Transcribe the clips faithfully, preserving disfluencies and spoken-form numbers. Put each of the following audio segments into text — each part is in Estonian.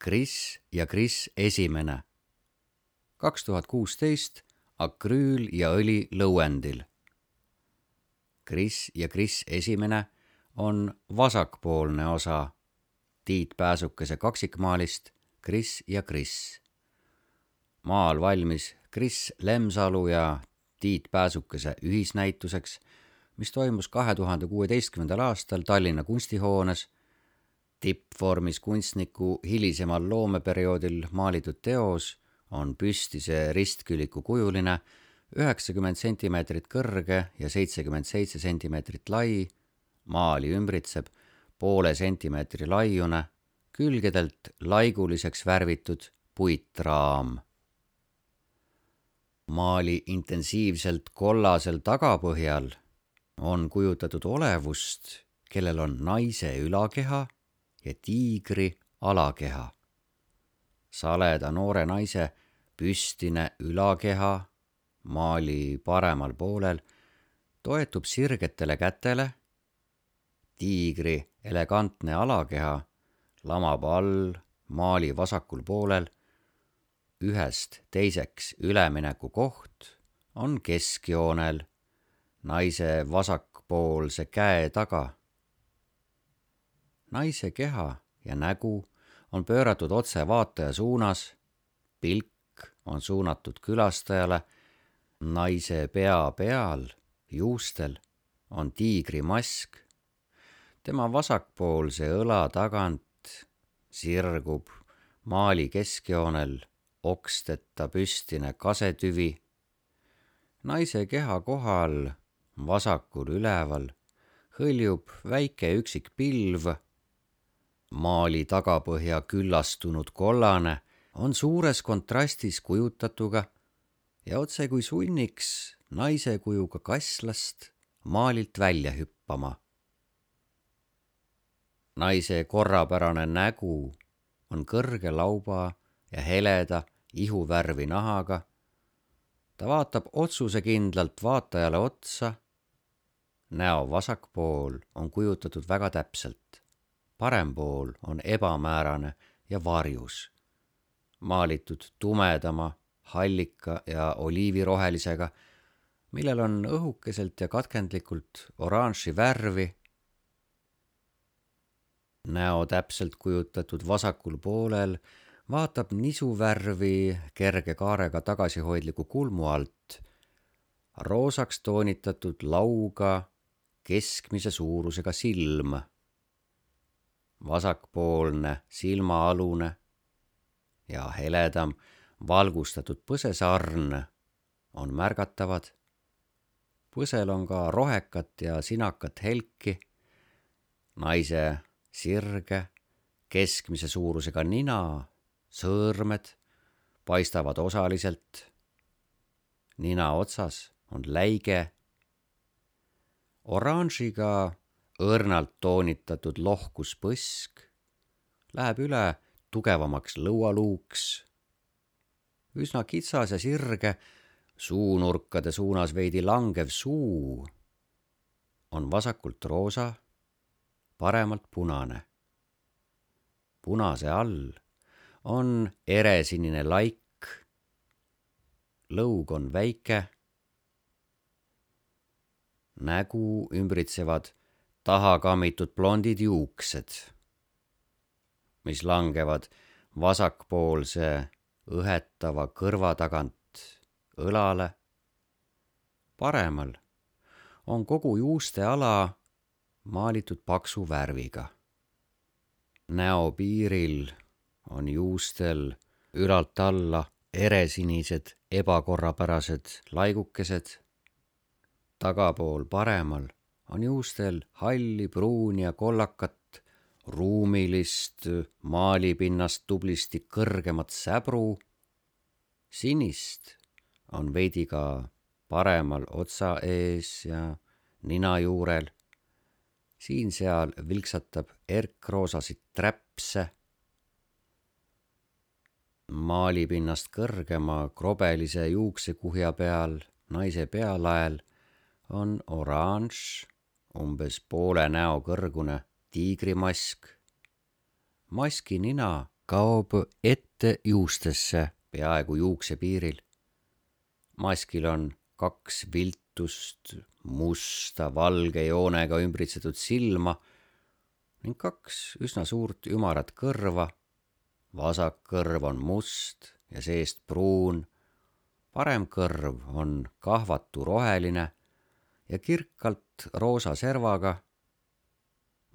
Kris ja Kris esimene. kaks tuhat kuusteist akrüül ja õli Lõuendil. Kris ja Kris esimene on vasakpoolne osa Tiit Pääsukese kaksikmaalist Kris ja Kris. Maal valmis Kris Lemsalu ja Tiit Pääsukese ühisnäituseks, mis toimus kahe tuhande kuueteistkümnendal aastal Tallinna kunstihoones. Tippvormis kunstniku hilisemal loomeperioodil maalitud teos on püstise ristküliku kujuline, üheksakümmend sentimeetrit kõrge ja seitsekümmend seitse sentimeetrit lai, maali ümbritseb poole sentimeetri laiune, külgedelt laiguliseks värvitud puitraam. Maali intensiivselt kollasel tagapõhjal on kujutatud olevust, kellel on naise ülakeha ja tiigri alakeha. Saleda noore naise püstine ülakeha maali paremal poolel toetub sirgetele kätele, tiigri elegantne alakeha lamab all maali vasakul poolel, ühest teiseks ülemineku koht on keskjoonel naise vasakpoolse käe taga. Naise keha ja nägu on pööratud otse vaataja suunas, pilk on suunatud külastajale, naise pea peal, juustel on tiigri mask, tema vasakpoolse õla tagant sirgub maali keskjoonel oksteta püstine kasetüvi, naise keha kohal vasakul üleval hõljub väike üksik pilv, maali tagapõhja küllastunud kollane on suures kontrastis kujutatuga ja otse kui sunniks naise kujuga kasslast maalilt välja hüppama. Naise korrapärane nägu on kõrge lauba ja heleda ihuvärvi nahaga. Ta vaatab otsusekindlalt vaatajale otsa. Näo vasakpool on kujutatud väga täpselt. Parem pool on ebamäärane ja varjus, maalitud tumedama, hallika ja oliivirohelisega, millel on õhukeselt ja katkendlikult oranži värvi. Näo täpselt kujutatud vasakul poolel vaatab nisuvärvi kerge kaarega tagasihoidliku kulmu alt, roosaks toonitatud lauga keskmise suurusega silm. Vasakpoolne silmaalune ja heledam valgustatud põsesarn on märgatavad. Põsel on ka rohekat ja sinakat helki. Naise sirge, keskmise suurusega nina, sõõrmed paistavad osaliselt. Nina otsas on läige. Oranžiga õrnalt toonitatud lohkus põsk läheb üle tugevamaks lõualuuks. Üsna kitsas ja sirge, suunurkade suunas veidi langev suu on vasakult roosa, paremalt punane. Punase all on eresinine laik, lõug on väike, nägu ümbritsevad tahakammitud blondid juuksed, mis langevad vasakpoolse õhetava kõrva tagant õlale. Paremal on kogu juuste ala maalitud paksu värviga. Näo piiril on juustel ülalt alla eresinised ebakorrapärased laigukesed. Tagapool paremal on juustel halli, pruuni ja kollakat, ruumilist maalipinnast tublisti kõrgemat säbru. Sinist on veidi ka paremal otsa ees ja nina juurel. Siin-seal vilksatab erkroosasid träpse. Maalipinnast kõrgema krobelise juuksekuhja peal naise pealael on oranž, umbes poole näo kõrgune tiigrimask. Maski nina kaob ette juustesse peaaegu juukse piiril. Maskil on kaks viltust, musta, valge joonega ümbritsetud silma ning kaks üsna suurt ümarat kõrva. Vasak kõrv on must ja seest pruun, parem kõrv on kahvatu roheline ja kirkalt roosa servaga.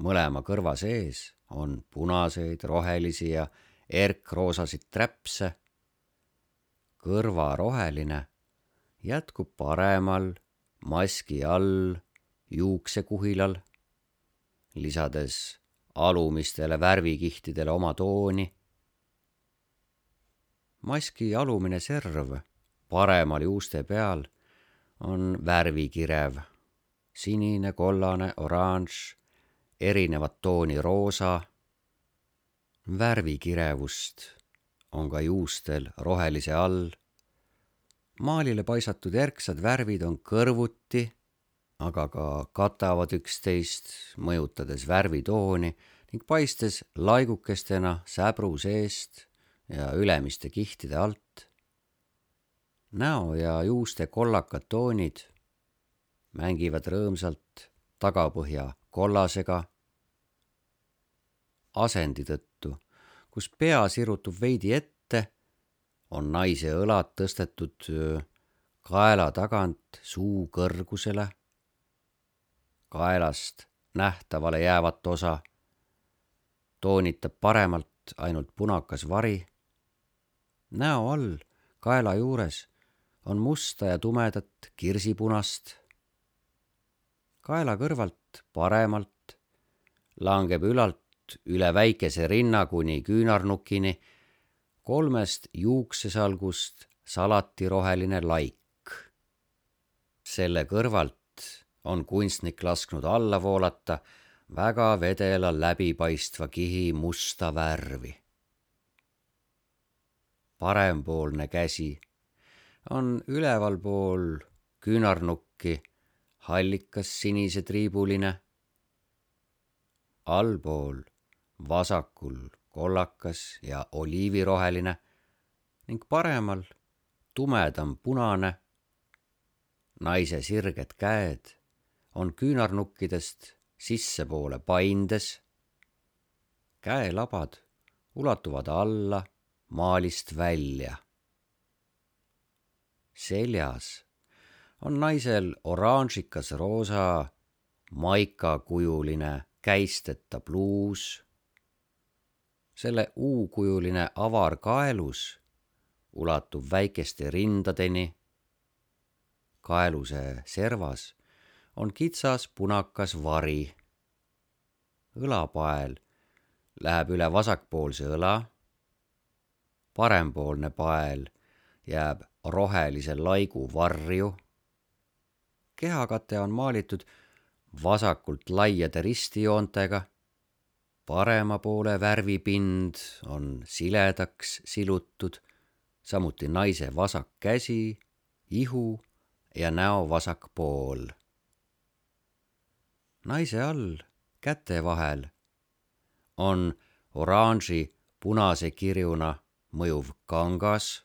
Mõlema kõrva sees on punaseid, rohelisi ja erkroosasid träpse. Kõrva roheline jätkub paremal maski all juuksekuhilal, lisades alumistele värvikihtidele oma tooni. Maski alumine serv paremal juuste peal on värvikirev, sinine, kollane, oranž, erinevat tooni roosa. Värvikirevust on ka juustel rohelise all. Maalile paisatud erksad värvid on kõrvuti, aga ka katavad üksteist, mõjutades värvitooni ning paistes laigukestena säbru seest ja ülemiste kihtide alt. Näo ja juuste kollakad toonid mängivad rõõmsalt tagapõhja kollasega. Asendi tõttu, kus pea sirutub veidi ette, on naise õlad tõstetud kaela tagant suu kõrgusele. Kaelast nähtavale jäävat osa toonitab paremalt ainult punakas vari. Näo all kaela juures on musta ja tumedat kirsipunast. Kaela kõrvalt paremalt langeb ülalt üle väikese rinna kuni küünarnukini kolmest juuksesalgust salatiroheline laik. Selle kõrvalt on kunstnik lasknud alla voolata väga vedela läbipaistva kihi musta värvi. Parempoolne käsi on ülevalpool küünarnukki hallikas sinise triibuline, allpool vasakul kollakas ja oliiviroheline ning paremal tumedam punane. Naise sirged käed on küünarnukkidest sissepoole paindes. Käelabad ulatuvad alla maalist välja. Seljas on naisel oranžikas roosa maikakujuline käisteta pluus. Selle U-kujuline avar kaelus ulatub väikeste rindadeni. Kaeluse servas on kitsas punakas vari. Õlapael läheb üle vasakpoolse õla. Parempoolne pael jääb rohelise laigu varju. Kehakate on maalitud vasakult laiade ristijoontega. Parema poole värvipind on siledaks silutud, samuti naise vasak käsi, ihu ja näo vasak pool. Naise all käte vahel on oranži punase kirjuna mõjuv kangas.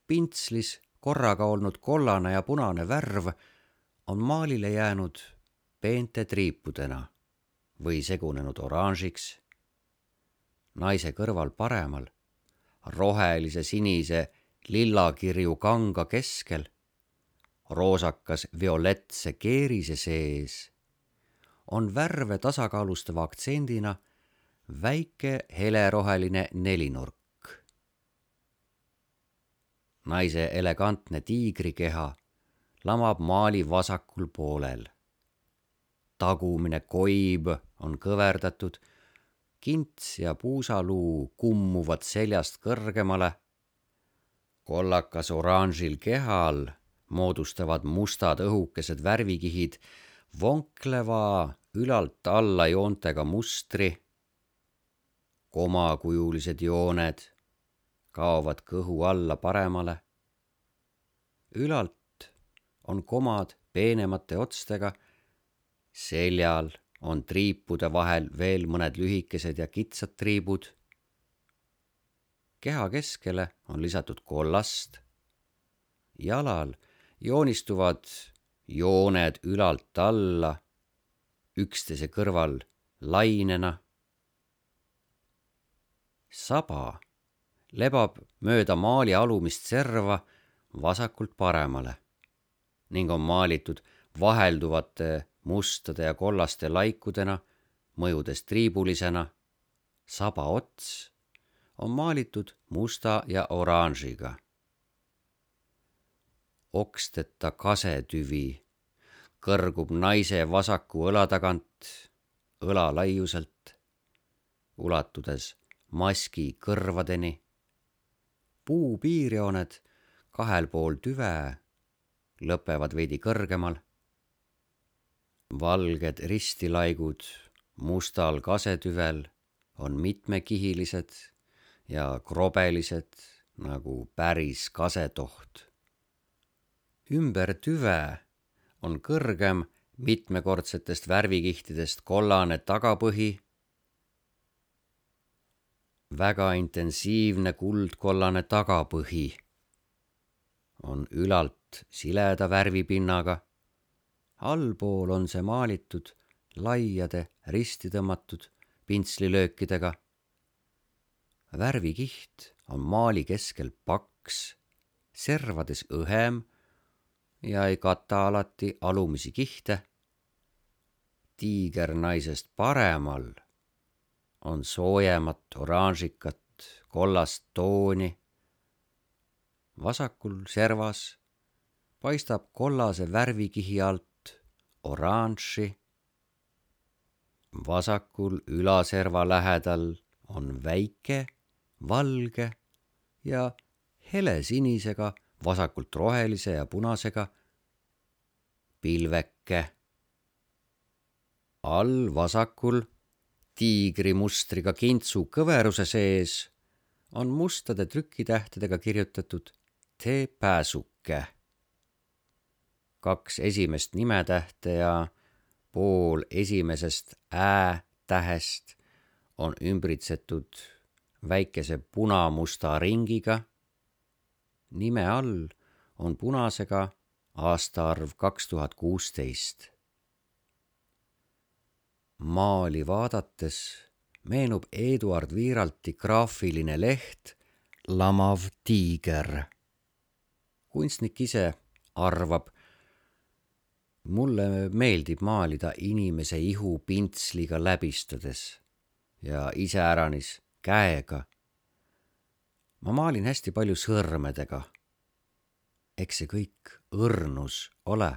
Pintslis korraga olnud kollane ja punane värv on maalile jäänud peente triipudena või segunenud oranžiks. Naise kõrval paremal, rohelise sinise lillakirju kanga keskel, roosakas violetse keerise sees, on värve tasakaalustava aktsendina väike heleroheline nelinurk. Naise elegantne tiigrikeha lamab maali vasakul poolel. Tagumine koib on kõverdatud, kints ja puusaluu kummuvad seljast kõrgemale. Kollakas oranžil kehal moodustavad mustad õhukesed värvikihid vonkleva ülalt alla joontega mustri. Komakujulised jooned kaovad kõhu alla paremale. Ülalt on komad peenemate otstega, seljal on triipude vahel veel mõned lühikesed ja kitsad triibud. Keha keskele on lisatud kollast. Jalal joonistuvad jooned ülalt alla, üksteise kõrval lainena. Saba lebab mööda maali alumist serva vasakult paremale ning on maalitud vahelduvate mustade ja kollaste laikudena, mõjudes triibulisena. Saba ots on maalitud musta ja oranžiga. Oksteta kasetüvi kõrgub naise vasaku õla tagant õla laiuselt, ulatudes maski kõrvadeni. Puu piirjooned kahel pool tüve lõpevad veidi kõrgemal. Valged ristilaigud mustal kasetüvel on mitmekihilised ja krobelised nagu päris kasetoht. Ümber tüve on kõrgem mitmekordsetest värvikihtidest kollane tagapõhi, väga intensiivne kuldkollane tagapõhi on ülalt sileda värvipinnaga. Allpool on see maalitud laiade risti tõmmatud pintslilöökidega. Värvikiht on maali keskel paks, servades õhem ja ei kata alati alumisi kihte. Tiigernaisest paremal on soojemat oranžikat kollast tooni. Vasakul servas paistab kollase värvikihi alt oranži. Vasakul ülaserva lähedal on väike, valge ja helesinisega, vasakult rohelise ja punasega pilveke. All vasakul tiigrimustriga kintsu kõveruse sees on mustade trükitähtedega kirjutatud tee pääsuke. Kaks esimest nimetähte ja pool esimesest ä tähest on ümbritsetud väikese punamusta ringiga. Nime all on punasega aastaarv kaks tuhat kuusteist. Maali vaadates meenub Eduard Wiiralti graafiline leht Lamav tiiger. Kunstnik ise arvab, mulle meeldib maalida inimese ihu pintsliga läbistades ja iseäranis käega. Ma maalin hästi palju sõrmedega. Eks see kõik õrnus ole.